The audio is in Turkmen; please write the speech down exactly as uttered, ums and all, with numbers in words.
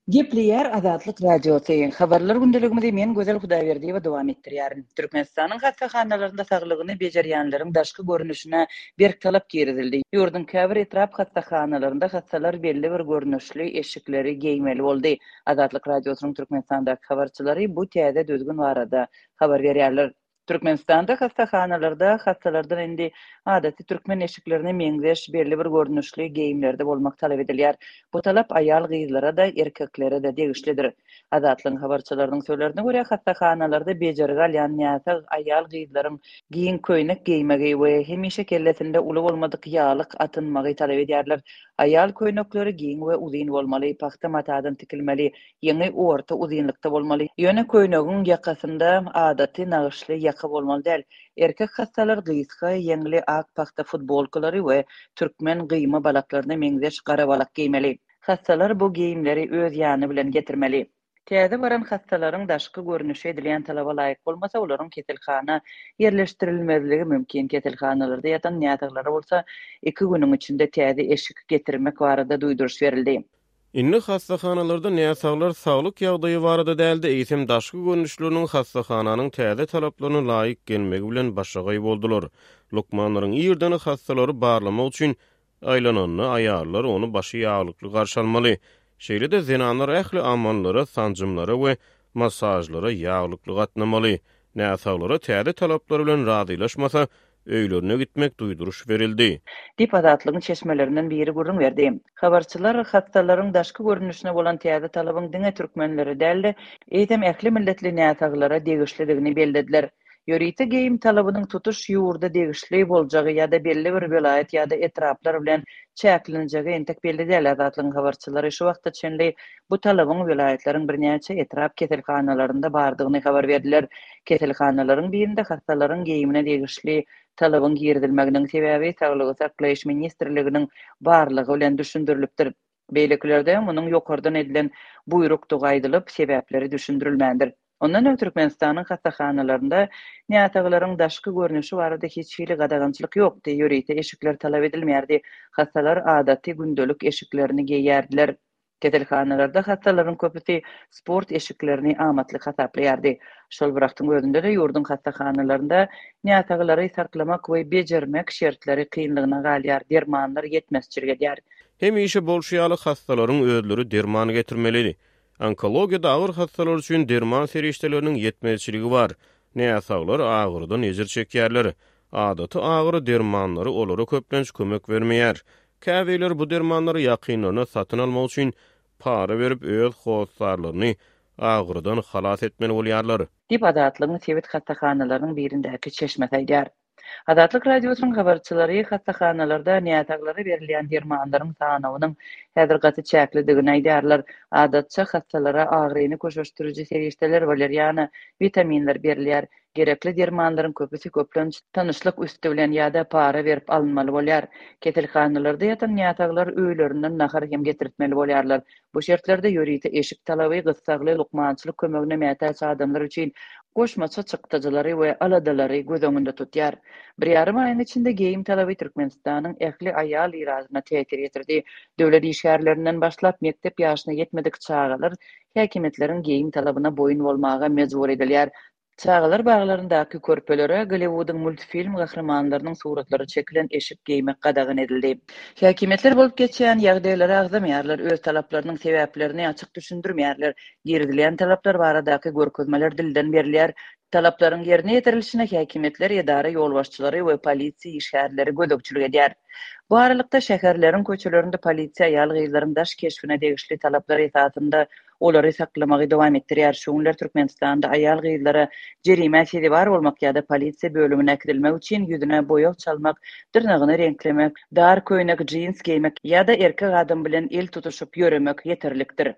Gepleýär Azatlyk Radiosy. Habarlar gündeligimizi men Gözel Hudaýberdiýewa dowam etdirýärin. Türkmenistanyň hassahanalarynda saglygyny bejerýänleriň daşky görnüşine berk talap girizildi. Ýurduň käbir etrap hassahanalarynda hassalar belli bir görnüşli eşikleri geýmeli boldy. Azatlyk Radiosynyň Türkmenistandaky habarçylary bu täze düzgün barada habar berýärler. Türkmenistanda hassahanalarda hassalardan indi adaty türkmen eşiklerine meňzeş belli bir görnüşli geýimlerde bolmak talap edilýär. Bu talap aýal-gyzlara-da, erkeklere-de degişlidir. Azatlygyň habarçylarynyň sözlerine görä, hassahanalarda bejergi alýan näsag aýal-gyzlaryň giň köýnek geýmegi we hemişe kellesinde uly bolmadyk ýaglyk atynmagy talap edýärler. Aýal köýnekleri giň we uzyn bolmaly, pagta matadan tikilmeli, ýeňi orta uzynlykda bolmaly. Ýöne köýnegiň ýakasynda adaty nagyşly ýaka bolmaly däl. Erkek hassalar gysga ýeňli ak pagta futbolkalary we türkmen gyýma balaklaryna meňzeş gara balak geýmeli. Hassalar bu geýimleri öz ýany bilen getirmeli. Täze baran hassalaryň daşky görnüşi edilýän talaba laýyk bolmasa, olaryň keselhana ýerleşdirilmezligi mümkin. Keselhanalarda ýatan näsaglara bolsa iki günüň içinde täze eşik getirmek barada duýduryş berildi. Indi hassahanalarda näsaglar saglyk ýagdaýy barada däl-de, eýsem daşky görnüşleriniň hassahananyň täze talaplaryna laýyk gelmegi bilen başagaý boldular. Lukmanlaryň irden hassalary barlamak üçin aýlananda aýallar ony başy ýaglykly garşy almaly. Şeýle-de zenanlar ähli amallara, sanjymlara we massažlara ýaglykly gatnamaly. Näsaglara täze talaplar bilen razylaşmasa, öýlerine gitmek duýduryş berildi. Diýip, Azatlygyň çeşmelerinden biri gürrüň berdi. Habarçylar hassalaryň daşky görnüşine bolan täze talabyň diňe türkmenlere däl-de, eýsem ähli milletli näsaglara degişlidigini bellediler. Ýörite geýim talabynyň tutuş ýurda degişli boljagy ýa-da belli bir welaýat ýa-da etraplar bilen çäklenjegi entek belli däl. Azatlygyň habarçylary şu wagta çenli bu talabyň welaýatlaryň birnäçe etrap keselhanalarynda bardygyny habar berdiler. Keselhanalaryň birinde hassalaryň geýimine degişli talabyň girizilmeginiň sebäbi Saglygy saklaýyş ministrliginiň barlygy bilen düşündirilipdir. Beýlekilerde munuň ýokardan edilen buýrukdygy aýdylyp, sebäpleri düşündirilmändir. Ondan öň Türkmenistanyň hassahanalarynda näsaglaryň daşky görnüşi barada hiç hili gadagançylyk ýokdy, ýörite eşikler talap edilmeýärdi. Hassalar adaty gündelik eşiklerini geýýärdiler. Keselhanalarda hassalaryň köpüsi sport eşiklerini amatly hasaplaýardy. Şol bir wagtyň özünde-de ýurduň hassahanalarynda näsaglary saklamak we bejermek şertleri kynlygyna galýar, dermanlar ýetmezçilik edýär. Hemişe bolşy ýaly hassalaryň özleri derman getirmeli. Onkologiýada agyr hassalar üçin derman serişdeleriniň ýetmezçiligi bar. Näsaglar agyrydan ejir çekýärler. Adaty agyry dermanlary olara köplenç kömek bermeýär. Käbirleri bu dermanlary ýakynlaryna satyn almak üçin para berip öz hossarlaryny agyrydan halas etmeli bolýarlar. Diýip, Azatlygyň sebit hassahanalarynyň birindäki çeşmesi aýdýar. Azatlyk Radiosynyň habarçylary hassahanalarda näsaglara berilýän dermanlaryň sanawynyň häzir gaty çäklidigini aýdýarlar. Adatça hassalara agyryny köşeşdiriji serişdeler, waleriana, witaminler berilýär. Gerekli dermanlaryň köpüsi köplenç tanyşlyk üsti bilen ýa-da para berip alynmaly bolýar. Keselhanalarda ýatan näsaglar öýlerinden nahar hem getirtmeli bolýarlar. Bu şertlerde ýörite eşik talaby gyssagly lukmançylyk kömegine mätäç adamlar üçin goşmaça çykdajylary we aladalary göz öňünde tutýar. Bir ýarym aýyň içinde geýim talaby Türkmenistanyň ähli aýal ilatyna täsir ýetirdi. Döwlet işgärlerinden başlap mekdep ýaşyna ýetmedik çagalar häkimiýetleriň geýim talabyna boýun bolmaga mejbur edilýär. Çagalar baglaryndaky körpelere Golliwudyň multfilm gahrymanlarynyň suratlary çekilen eşik geýmek gadagan edildi. Häkimiýetler bolup geçýän ýagdaýlary agzamaýarlar, öz talaplarynyň sebäplerini açyk düşündirmeýärler. Girizilýän talaplar baradaky görkezmeler dilden berilýär. Talaplaryň ýerine ýetirilişine häkimiýetler, edara ýolbaşçylary we polisiýa işgärleri gözegçilik edýär. Bu aralykda, şäherleriň köçelerinde polisiýa aýal-gyzlaryň daş keşbine degişli talaplar esasynda olary saklamagy dowam etdirýär. Şu günler Türkmenistanda aýal-gyzlara jerimä sezewar bolmak ýa-da polisiýa bölümine äkidilmek üçin ýüzüne boýag çalmak, dyrnagyny reňklemek, dar köýnek, jins geýmek ýa-da erkek adam bilen el tutuşyp ýöremek ýeterlikdir.